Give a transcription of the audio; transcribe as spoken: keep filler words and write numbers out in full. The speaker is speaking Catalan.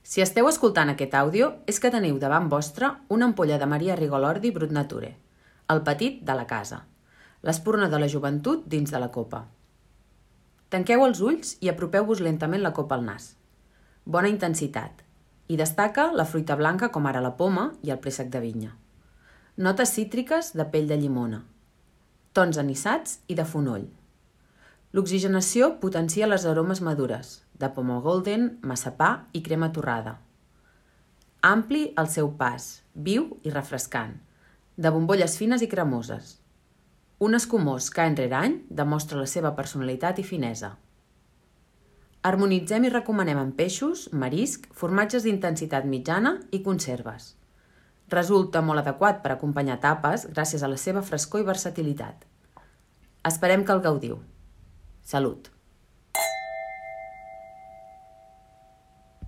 Si esteu escoltant aquest àudio és que teniu davant vostre una ampolla de Maria Rigolordi Brut Nature, el petit de la casa, l'espurna de la joventut dins de la copa. Tanqueu els ulls i apropeu-vos lentament la copa al nas. Bona intensitat. I destaca la fruita blanca com ara la poma i el préssec de vinya. Notes cítriques de pell de llimona. Tons anissats i de fonoll. L'oxigenació potencia les aromes madures, de poma golden, massapà i crema torrada. Ampli el seu pas, viu i refrescant, de bombolles fines i cremoses. Un escumós que any rere any demostra la seva personalitat i finesa. Harmonitzem i recomanem en peixos, marisc, formatges d'intensitat mitjana i conserves. Resulta molt adequat per acompanyar tapes gràcies a la seva frescor i versatilitat. Esperem que el gaudiu. Salut!